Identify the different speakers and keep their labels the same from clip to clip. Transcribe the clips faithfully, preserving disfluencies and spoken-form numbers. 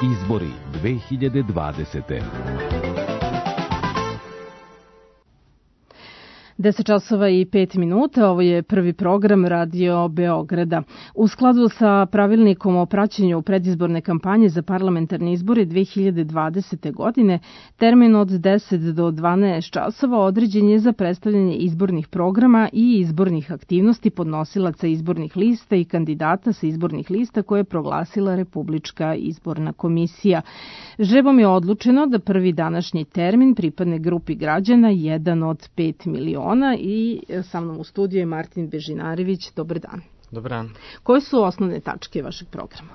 Speaker 1: Izbori dve hiljade dvadesete.
Speaker 2: deset časova i pet minuta, ovo je prvi program Radio Beograda. U skladu sa pravilnikom o praćenju predizborne kampanje za parlamentarne izbore dve hiljade dvadesete. godine, termin od deset do dvanaest časova određen je za predstavljanje izbornih programa i izbornih aktivnosti podnosilaca izbornih lista i kandidata sa izbornih lista koje je proglasila Republička izborna komisija. Žrebom je odlučeno da prvi današnji termin pripadne grupi građana jedan od pet miliona. I sa mnom u studiju je Martin Bežinarević. Dobar dan.
Speaker 3: Dobar dan.
Speaker 2: Koje su osnovne tačke vašeg programa?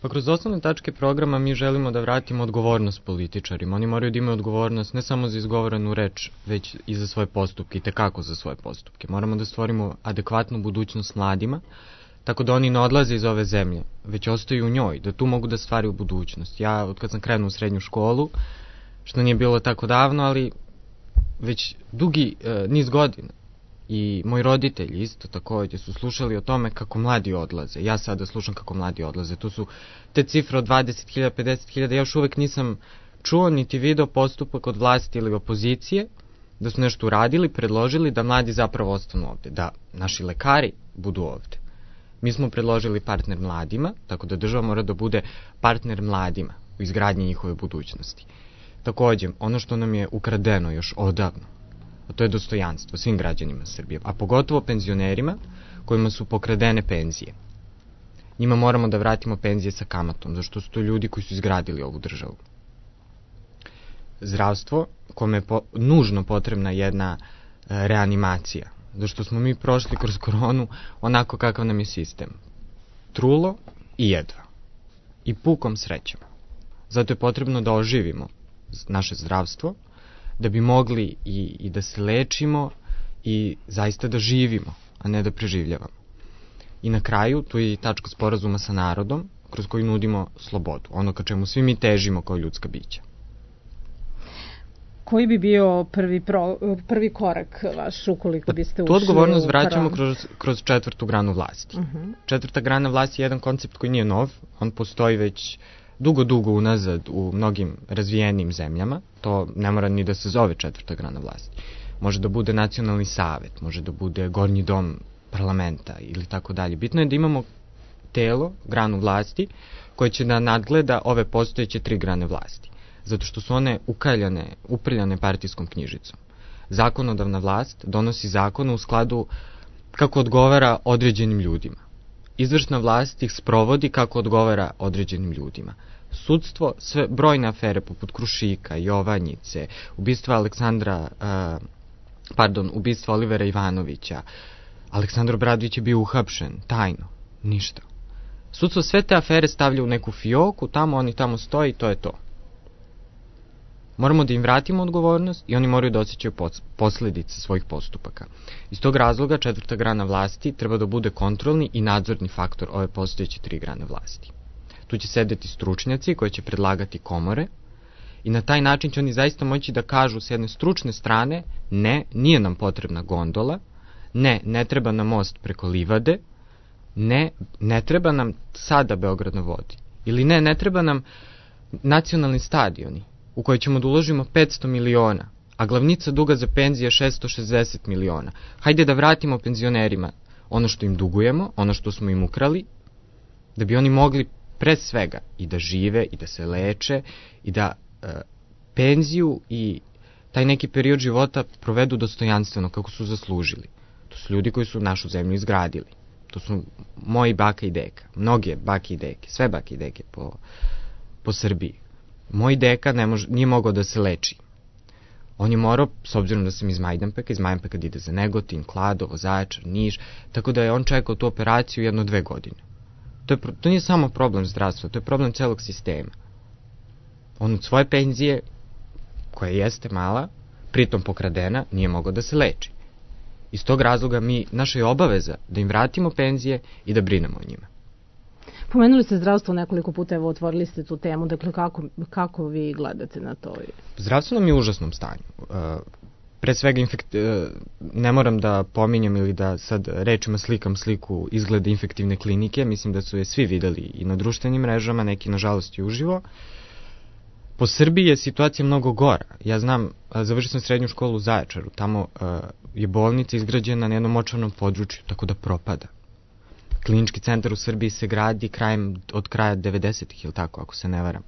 Speaker 3: Pa kroz osnovne tačke programa mi želimo da vratimo odgovornost političarima. Oni moraju da imaju odgovornost ne samo za izgovorenu reč, već i za svoje postupke i tekako za svoje postupke. Moramo da stvorimo adekvatnu budućnost mladima, tako da oni ne odlaze iz ove zemlje, već ostaju u njoj, da tu mogu da stvaraju budućnost. Ja, od kad sam krenuo u srednju školu, što nije bilo tako davno, ali već dugi e, niz godina i moji roditelji isto također su slušali o tome kako mladi odlaze. Ja sada slušam kako mladi odlaze. Tu su te cifre od dvadeset hiljada, pedeset hiljada. Ja još uvek nisam čuo niti video postupak od vlasti ili opozicije da su nešto uradili, predložili da mladi zapravo ostanu ovde, da naši lekari budu ovde. Mi smo predložili partner mladima, tako da država mora da bude partner mladima u izgradnji njihove budućnosti. Također, ono što nam je ukradeno još odavno, a to je dostojanstvo svim građanima Srbije, a pogotovo penzionerima kojima su pokradene penzije. Njima moramo da vratimo penzije sa kamatom, zašto su to ljudi koji su izgradili ovu državu. Zdravstvo, kome je po, nužno potrebna jedna e, reanimacija, zašto smo mi prošli kroz koronu onako kakav nam je sistem. Trulo i jedva. I pukom srećom. Zato je potrebno da oživimo naše zdravstvo, da bi mogli i, i da se lečimo i zaista da živimo, a ne da preživljavamo. I na kraju, tu je i tačka sporazuma sa narodom, kroz koju nudimo slobodu, ono ka čemu svi mi težimo kao ljudska bića.
Speaker 2: Koji bi bio prvi, pro, prvi korak vaš ukoliko biste ušli?
Speaker 3: Tu odgovornost vraćamo kroz, kroz četvrtu granu vlasti. Uh-huh. Četvrta grana vlasti je jedan koncept koji nije nov, on postoji već dugo, dugo unazad u mnogim razvijenim zemljama. To ne mora ni da se zove četvrta grana vlasti. Može da bude nacionalni savet, može da bude gornji dom parlamenta ili tako dalje. Bitno je da imamo telo, granu vlasti, koje će da nadgleda ove postojeće tri grane vlasti. Zato što su one ukaljane, uprljane partijskom knjižicom. Zakonodavna vlast donosi zakone u skladu kako odgovara određenim ljudima. Izvršna vlast ih sprovodi kako odgovara određenim ljudima. Sudstvo, sve brojne afere poput Krušika, Jovanjice, ubistva Aleksandra, uh, pardon, ubistva Olivera Ivanovića, Aleksandar Obradović je bio uhapšen, tajno, ništa. Sudstvo sve te afere stavlja u neku fioku, tamo oni tamo stoji, to je to. Moramo da im vratimo odgovornost i oni moraju da osjećaju posledice svojih postupaka. Iz tog razloga četvrta grana vlasti treba da bude kontrolni i nadzorni faktor ove postojeće tri grane vlasti. Tu će sedeti stručnjaci koji će predlagati komore i na taj način će oni zaista moći da kažu s jedne stručne strane ne, nije nam potrebna gondola, ne, ne treba nam most preko livade, ne, ne treba nam sada Beograd na vodi ili ne, ne treba nam nacionalni stadioni u koji ćemo da uložimo petsto miliona, a glavnica duga za penzije je šesto šezdeset miliona. Hajde da vratimo penzionerima ono što im dugujemo, ono što smo im ukrali, da bi oni mogli pre svega i da žive i da se leče i da e, penziju i taj neki period života provedu dostojanstveno kako su zaslužili. To su ljudi koji su našu zemlju izgradili. To su moji baka i deka, mnoge bake i deke, sve bake i deke po, po Srbiji. Moj deka ne mož, nije mogao da se leči. On je morao, s obzirom da sam iz Majdanpeka, iz Majdanpeka da ide za Negotin, Kladovo, Zaječar, Niš, tako da je on čekao tu operaciju jedno dve godine. To, je, to nije samo problem zdravstva, to je problem celog sistema. On od svoje penzije, koja jeste mala, pritom pokradena, nije mogao da se leči. Iz tog razloga mi, naša je obaveza da im vratimo penzije i da brinemo o njima.
Speaker 2: Pomenuli ste zdravstvo nekoliko puta, evo otvorili ste tu temu, dakle kako, kako vi gledate na to?
Speaker 3: Zdravstvo nam je u užasnom stanju. pre svega infekt, ne moram da pominjem ili da sad rečima slikam sliku izgleda infektivne klinike, mislim da su je svi videli i na društvenim mrežama, neki nažalost i uživo. Po Srbiji je situacija mnogo gora. Ja znam, završio sam srednju školu u Zaječaru, tamo je bolnica izgrađena na jednom močvarnom području, tako da propada. Klinički centar u Srbiji se gradi krajem, od kraja devedesetih, ili tako, ako se ne varam.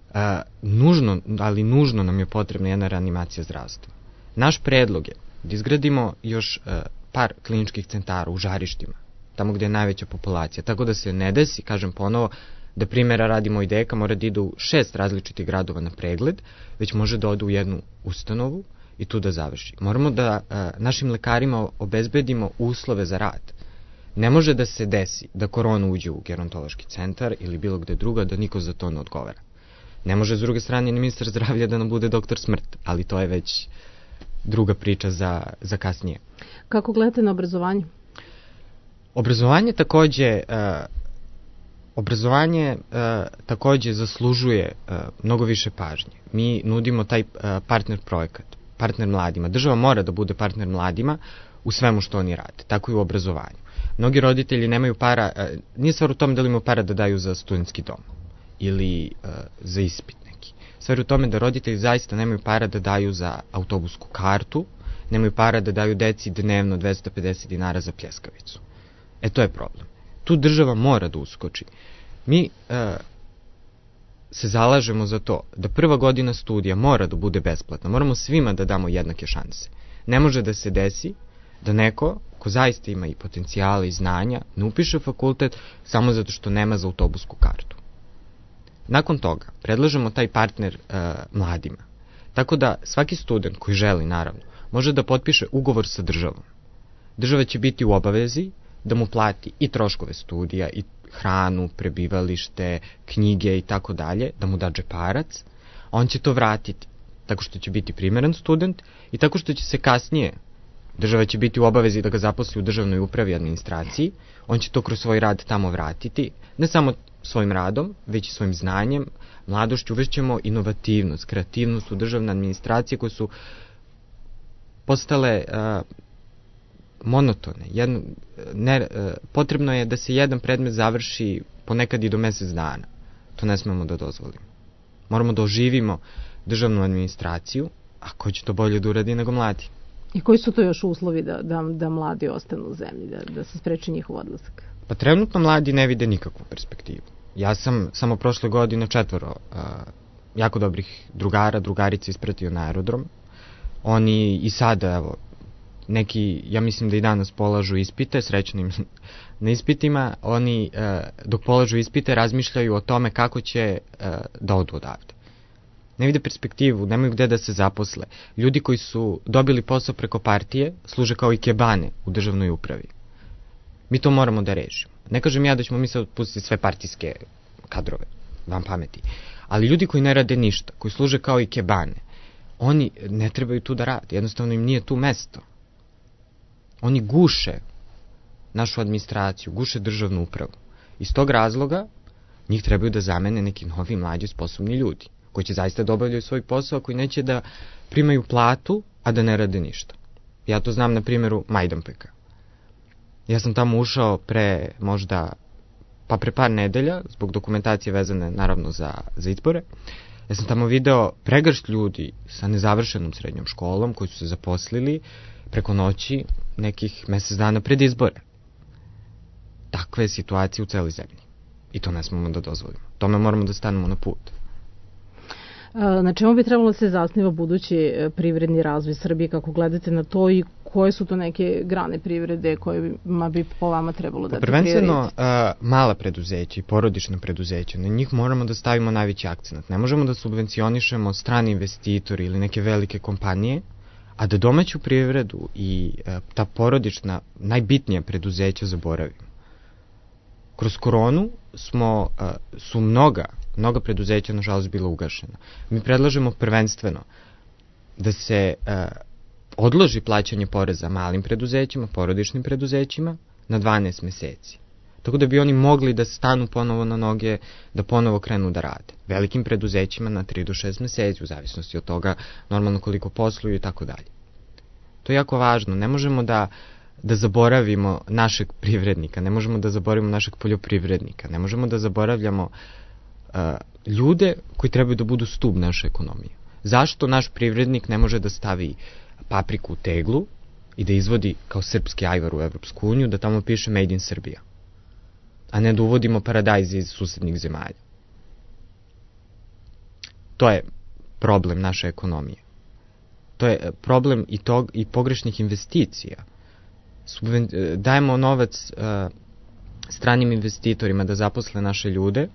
Speaker 3: Uh, nužno, ali nužno nam je potrebna jedna reanimacija zdravstva. Naš predlog je da izgradimo još uh, par kliničkih centara u žarištima, tamo gde je najveća populacija, tako da se ne desi, kažem ponovo, da primjera radi moj deka mora da ide u šest različitih gradova na pregled, već može da ode u jednu ustanovu i tu da završi. Moramo da uh, našim lekarima obezbedimo uslove za rad. Ne može da se desi da korona uđe u gerontološki centar ili bilo gde druga, da niko za to ne odgovara. Ne može s druge strane ni ministar zdravlja da nam bude doktor smrt, ali to je već druga priča za, za kasnije.
Speaker 2: Kako gledate na obrazovanje?
Speaker 3: Obrazovanje takođe, uh, obrazovanje uh, takođe zaslužuje uh, mnogo više pažnje. Mi nudimo taj uh, partner projekat, partner mladima. Država mora da bude partner mladima u svemu što oni rade, tako i u obrazovanju. Mnogi roditelji nemaju para, uh, nije stvar u tome da li imaju para da daju za studentski dom ili uh, za ispit neki. Stvar u tome da roditelji zaista nemaju para da daju za autobusku kartu, nemaju para da daju deci dnevno dvesta pedeset dinara za pljeskavicu. E to je problem. Tu država mora da uskoči. Mi uh, se zalažemo za to da prva godina studija mora da bude besplatna. Moramo svima da damo jednake šanse. Ne može da se desi da neko ko zaista ima i potencijale i znanja ne upiše fakultet samo zato što nema za autobusku kartu. Nakon toga predlažemo taj partner uh, mladima. Tako da svaki student koji želi, naravno, može da potpiše ugovor sa državom. Država će biti u obavezi da mu plati i troškove studija, i hranu, prebivalište, knjige i tako dalje, da mu da džeparac, a on će to vratiti tako što će biti primeren student i tako što će se kasnije, država će biti u obavezi da ga zaposli u državnoj upravi i administraciji, on će to kroz svoj rad tamo vratiti, ne samo svojim radom, već i svojim znanjem, mladošću. Uvešćemo inovativnost, kreativnost u državne administracije koje su postale uh, monotone. Jedno, ne, uh, potrebno je da se jedan predmet završi ponekad i do mesec dana. To ne smemo da dozvolimo. Moramo da oživimo državnu administraciju, a ko će to bolje da uradi nego mladi.
Speaker 2: I koji su to još uslovi da, da, da mladi ostanu u zemlji, da, da se spreči njihov odlazak?
Speaker 3: Pa trenutno mladi ne vide nikakvu perspektivu. Ja sam samo prošle godine četvoro uh, jako dobrih drugara, drugarica ispratio na aerodrom. Oni i sada, evo, neki, ja mislim da i danas polažu ispite, srećno im na ispitima, oni uh, dok polažu ispite razmišljaju o tome kako će uh, da odu odavde. Ne vide perspektivu, nemaju gde da se zaposle. Ljudi koji su dobili posao preko partije služe kao i kebane u državnoj upravi. Mi to moramo da rešimo. Ne kažem ja da ćemo mi sad otpustiti sve partijske kadrove, vam pameti. Ali ljudi koji ne rade ništa, koji služe kao i kebane, oni ne trebaju tu da rade. Jednostavno im nije tu mesto. Oni guše našu administraciju, guše državnu upravu. Iz tog razloga njih trebaju da zamene neki novi, mlađi, sposobni ljudi, koji će zaista da obavljaju svoj posao, koji neće da primaju platu, a da ne rade ništa. Ja to znam na primjeru Majdanpeka. Ja sam tamo ušao pre možda, pa pre par nedelja, zbog dokumentacije vezane naravno za, za izbore. Ja sam tamo video pregršt ljudi sa nezavršenom srednjom školom koji su se zaposlili preko noći nekih mesec dana pred izbore. Takve je situacije u celoj zemlji. I to ne smemo da dozvolimo. Tome moramo da stanemo na put.
Speaker 2: Na čemu bi trebalo se zasniva budući privredni razvoj Srbije, kako gledate na to i koje su to neke grane privrede kojima bi po vama trebalo dati prioritet?
Speaker 3: Prvenstveno uh, mala preduzeća i porodična preduzeća, na njih moramo da stavimo najveći akcenat. Ne možemo da subvencionišemo strani investitori ili neke velike kompanije, a da domaću privredu i uh, ta porodična, najbitnija preduzeća zaboravimo. Kroz koronu smo, uh, su mnoga mnoga preduzeća, nažalost, bila ugašena. Mi predlažemo prvenstveno da se uh, odloži plaćanje poreza malim preduzećima, porodičnim preduzećima na dvanaest meseci. Tako da bi oni mogli da stanu ponovo na noge, da ponovo krenu da rade. Velikim preduzećima na tri do šest meseci, u zavisnosti od toga normalno koliko posluju i tako dalje. To je jako važno. Ne možemo da, da zaboravimo našeg privrednika, ne možemo da zaboravimo našeg poljoprivrednika, ne možemo da zaboravljamo uh, ljude koji trebaju da budu stub naše ekonomije. Zašto naš privrednik ne može da stavi papriku u teglu i da izvodi kao srpski ajvar u Evropsku uniju, da tamo piše Made in Serbia, a ne da uvodimo paradajz iz susednih zemalja? To je problem naše ekonomije. To je problem i, tog, i pogrešnih investicija. Subven, dajemo novac uh, stranim investitorima da zaposle naše ljude,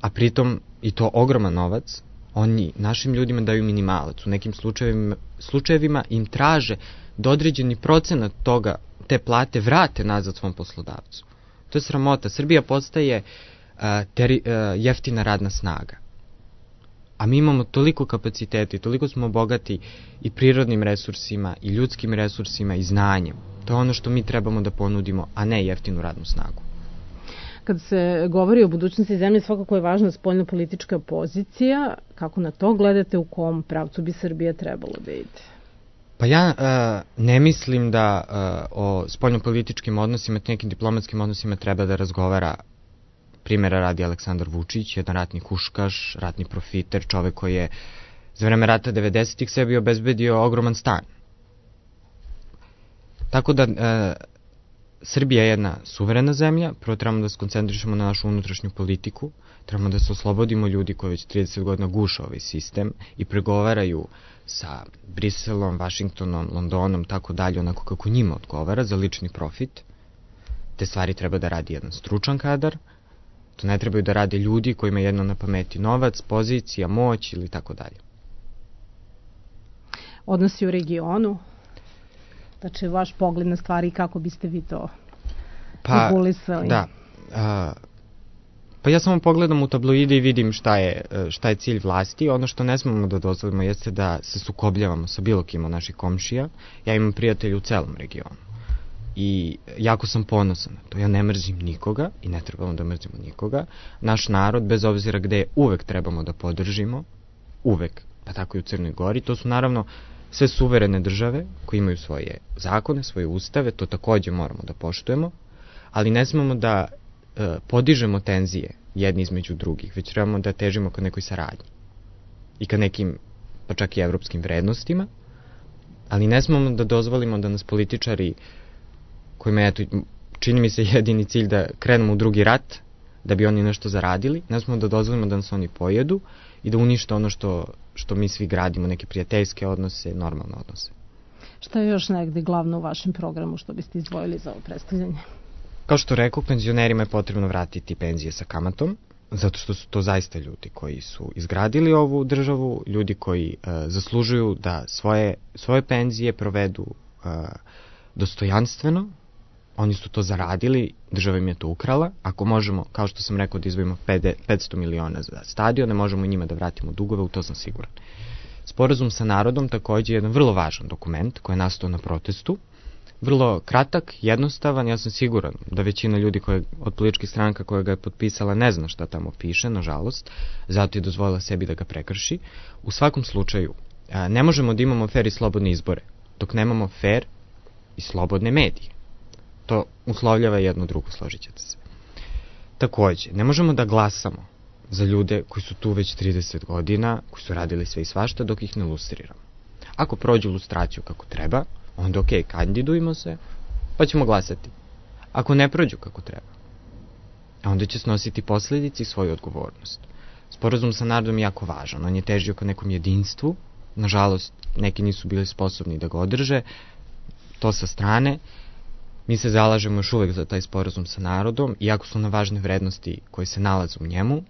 Speaker 3: a pritom, i to ogroman novac, oni našim ljudima daju minimalac. U nekim slučajevima, slučajevima im traže da određeni procenat toga, te plate vrate nazad svom poslodavcu. To je sramota. Srbija postaje uh, teri, uh, jeftina radna snaga. A mi imamo toliko kapaciteta i toliko smo bogati i prirodnim resursima, i ljudskim resursima, i znanjem. To je ono što mi trebamo da ponudimo, a ne jeftinu radnu snagu.
Speaker 2: Kad se govori o budućnosti zemlje, svakako je važna spoljnopolitička pozicija. Kako na to gledate, u kom pravcu bi Srbija trebalo da ide?
Speaker 3: Pa ja uh, ne mislim da uh, o spoljnopolitičkim odnosima, nekim diplomatskim odnosima treba da razgovara, primjera radi, Aleksandar Vučić, jedan ratni huškaš, ratni profiter, čovek koji je za vreme rata devedesetih sebi obezbedio ogroman stan. Tako da uh, Srbija je jedna suverena zemlja, prvo trebamo da se koncentrišemo na našu unutrašnju politiku, trebamo da se oslobodimo ljudi koji već trideset godina guše ovaj sistem i pregovaraju sa Briselom, Vašingtonom, Londonom, tako dalje, onako kako njima odgovara za lični profit. Te stvari treba da radi jedan stručan kadar, to ne trebaju da rade ljudi kojima je jedno na pameti novac, pozicija, moć ili tako dalje.
Speaker 2: Odnosi u regionu? Znači, vaš pogled na stvari, kako biste vi to
Speaker 3: pa,
Speaker 2: regulisali?
Speaker 3: Da. A, pa ja samo pogledam u tabloide i vidim šta je, šta je cilj vlasti. Ono što ne smemo da dozvolimo jeste da se sukobljavamo sa bilo kim od naših komšija. Ja imam prijatelje u celom regionu. I jako sam ponosan na to. Ja ne mrzim nikoga i ne trebamo da mrzimo nikoga. Naš narod, bez obzira gde je, uvek trebamo da podržimo. Uvek. Pa tako i u Crnoj Gori. To su naravno sve suverene države koje imaju svoje zakone, svoje ustave, to takođe moramo da poštujemo, ali ne smemo da e, podižemo tenzije jedni između drugih, već trebamo da težimo ka nekoj saradnji i ka nekim, pa čak i evropskim vrednostima, ali ne smemo da dozvolimo da nas političari, kojima je, eto, čini mi se jedini cilj da krenemo u drugi rat, da bi oni nešto zaradili, ne smemo da dozvolimo da nas oni pojedu i da unište ono što, što mi svi gradimo, neke prijateljske odnose, normalne odnose.
Speaker 2: Šta je još negde glavno u vašem programu što biste izdvojili za ovo predstavljanje?
Speaker 3: Kao što rekao, penzionerima je potrebno vratiti penzije sa kamatom, zato što su to zaista ljudi koji su izgradili ovu državu, ljudi koji uh, zaslužuju da svoje, svoje penzije provedu uh, dostojanstveno. Oni su to zaradili, država im je to ukrala. Ako možemo, kao što sam rekao, da izdvojimo petsto miliona za stadion, ne možemo njima da vratimo dugove, u to sam siguran. Sporazum sa narodom takođe je jedan vrlo važan dokument koji je nastao na protestu. Vrlo kratak, jednostavan, ja sam siguran da većina ljudi koje, od političkih stranaka koja ga je potpisala ne zna šta tamo piše, nažalost, zato je dozvolila sebi da ga prekrši. U svakom slučaju, ne možemo da imamo fer i slobodne izbore, dok nemamo fer i slobodne medije. To uslovljava jedno drugo, složit ćete se. Takođe, ne možemo da glasamo za ljude koji su tu već trideset godina, koji su radili sve i svašta, dok ih ne lustriramo. Ako prođu lustraciju kako treba, onda ok, kandidujemo se, pa ćemo glasati. Ako ne prođu kako treba, onda će snositi posledici i svoju odgovornost. Sporazum sa narodom je jako važan, on je težio ka nekom jedinstvu, nažalost, neki nisu bili sposobni da ga održe, to sa strane. Mi se zalažemo još uvek za taj sporazum sa narodom, iako su na važne vrednosti koje se nalaze u njemu,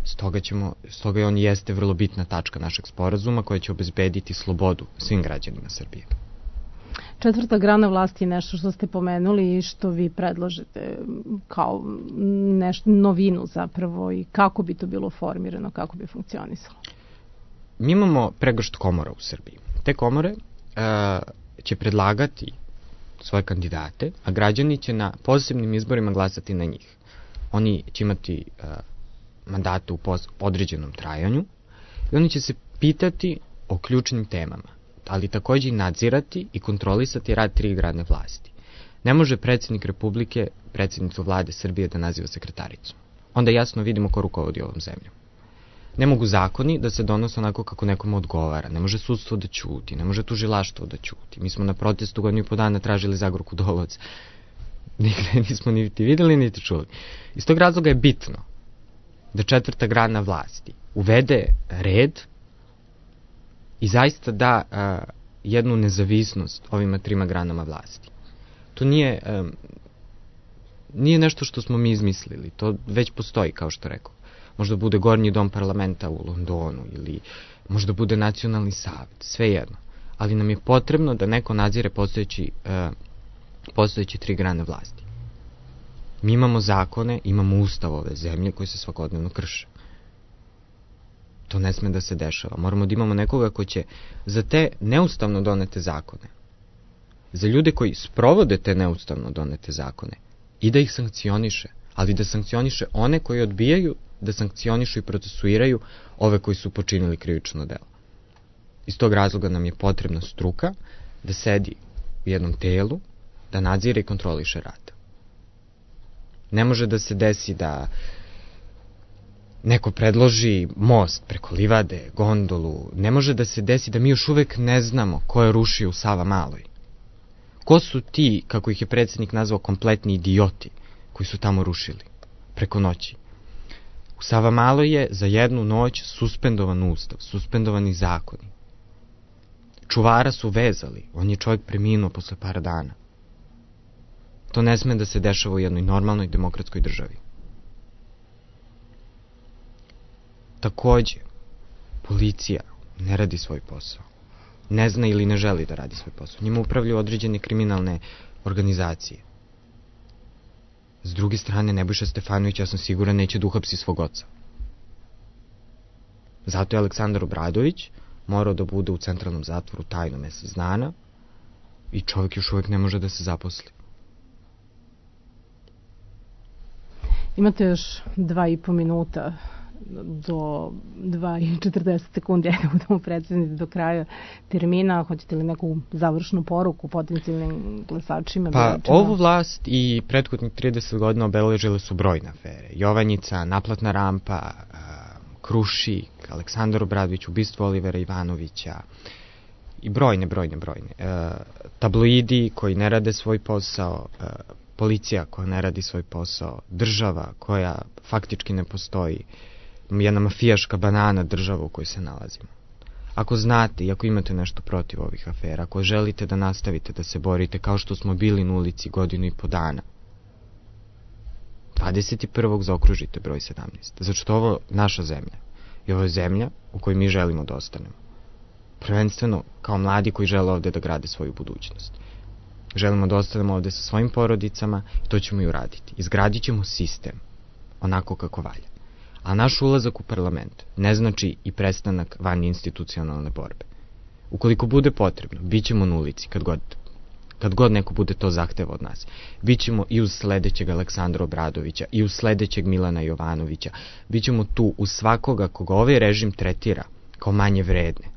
Speaker 3: stoga, ćemo, stoga je on jeste vrlo bitna tačka našeg sporazuma koja će obezbediti slobodu svim građanima Srbije.
Speaker 2: Četvrta grana vlasti je nešto što ste pomenuli i što vi predložite kao nešto, novinu zapravo, i kako bi to bilo formirano, kako bi funkcionisalo?
Speaker 3: Mi imamo pregršt komora u Srbiji. Te komore uh, će predlagati svoje kandidate, a građani će na posebnim izborima glasati na njih. Oni će imati uh, mandate u pos- određenom trajanju i oni će se pitati o ključnim temama, ali takođe i nadzirati i kontrolisati rad tri grane vlasti. Ne može predsjednik Republike, predsjednicu vlade Srbije da naziva sekretaricom. Onda jasno vidimo ko rukovodi ovom zemljom. Ne mogu zakoni da se donose onako kako nekom odgovara. Ne može sudstvo da ćuti, ne može tužilaštvo da ćuti. Mi smo na protestu godinu i po dana tražili Zagorku Dolovac. Nigde nismo niti videli, niti čuli. Iz tog razloga je bitno da četvrta grana vlasti uvede red i zaista da a, jednu nezavisnost ovima trima granama vlasti. To nije, a, nije nešto što smo mi izmislili. To već postoji, kao što rekao. Možda bude Gornji dom parlamenta u Londonu ili možda bude nacionalni savet, sve jedno. Ali nam je potrebno da neko nadzire postojeći, uh, postojeći tri grane vlasti. Mi imamo zakone, imamo ustav ove zemlje koji se svakodnevno krše. To ne sme da se dešava. Moramo da imamo nekoga ko će za te neustavno donete zakone, za ljude koji sprovode te neustavno donete zakone i da ih sankcioniše, ali da sankcioniše one koji odbijaju da sankcionišu i procesuiraju ove koji su počinili krivično delo. Iz tog razloga nam je potrebna struka da sedi u jednom telu, da nadzire i kontroliše rad. Ne može da se desi da neko predloži most preko livade, gondolu. Ne može da se desi da mi još uvek ne znamo ko je rušio u Savamaloj. Ko su ti, kako ih je predsjednik nazvao, kompletni idioti koji su tamo rušili preko noći? U Savamaloj je za jednu noć suspendovan ustav, suspendovani zakoni. Čuvara su vezali, on je čovjek preminuo posle par dana. To ne sme da se dešava u jednoj normalnoj demokratskoj državi. Takođe, policija ne radi svoj posao. Ne zna ili ne želi da radi svoj posao. Njima upravljaju određene kriminalne organizacije. S druge strane, Nebojša Stefanović, ja sam siguran, neće da uhapsi svog oca. Zato je Aleksandar Obradović morao da bude u centralnom zatvoru tajno mesec dana i čovjek još uvijek ne može da se zaposli.
Speaker 2: Imate još dva i po minuta do dva i četrdeset sekundi, ajde budemo precizni do kraja termina. Hoćete li neku završnu poruku potencijalnim glasačima?
Speaker 3: Pa
Speaker 2: biračima?
Speaker 3: Ovu vlast i prethodnih trideset godina obeležile su brojne afere. Jovanjica, naplatna rampa, Krušik, Aleksandar Obradović, ubistvo Olivera Ivanovića i brojne, brojne, brojne. E, tabloidi koji ne rade svoj posao, e, policija koja ne radi svoj posao, država koja faktički ne postoji, jedna mafijaška banana država u kojoj se nalazimo. Ako znate i ako imate nešto protiv ovih afera, ako želite da nastavite da se borite kao što smo bili na ulici godinu i po dana, dvadeset prvog zaokružite broj sedamnaest. Zato što ovo naša zemlja i ovo je zemlja u kojoj mi želimo da ostanemo. Prvenstveno kao mladi koji žele ovde da grade svoju budućnost. Želimo da ostanemo ovde sa svojim porodicama i to ćemo i uraditi. Izgradit ćemo sistem onako kako valja. A naš ulazak u parlament ne znači i prestanak van institucionalne borbe. Ukoliko bude potrebno, bit ćemo na ulici kad god, kad god neko bude to zahteva od nas. Bićemo i uz sledećeg Aleksandra Obradovića, i uz sledećeg Milana Jovanovića. Bićemo tu uz svakoga koga ovaj režim tretira kao manje vredne.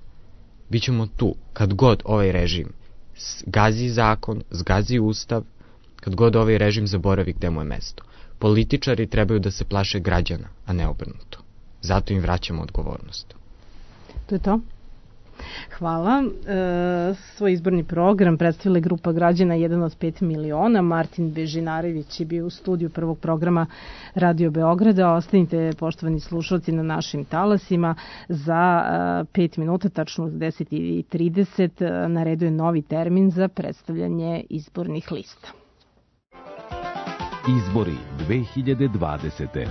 Speaker 3: Bićemo tu kad god ovaj režim zgazi zakon, zgazi ustav, kad god ovaj režim zaboravi gde mu je mesto. Političari trebaju da se plaše građana, a ne obrnuto. Zato im vraćamo odgovornost.
Speaker 2: To je to. Hvala. E, svoj izborni program predstavila grupa građana jedan od pet miliona. Martin Bežinarević je bio u studiju prvog programa Radio Beograda. Ostanite, poštovani slušalci, na našim talasima. Za pet minuta, tačno u deset i trideset, na redu je novi termin za predstavljanje izbornih lista.
Speaker 1: Izbori dve hiljade dvadesete.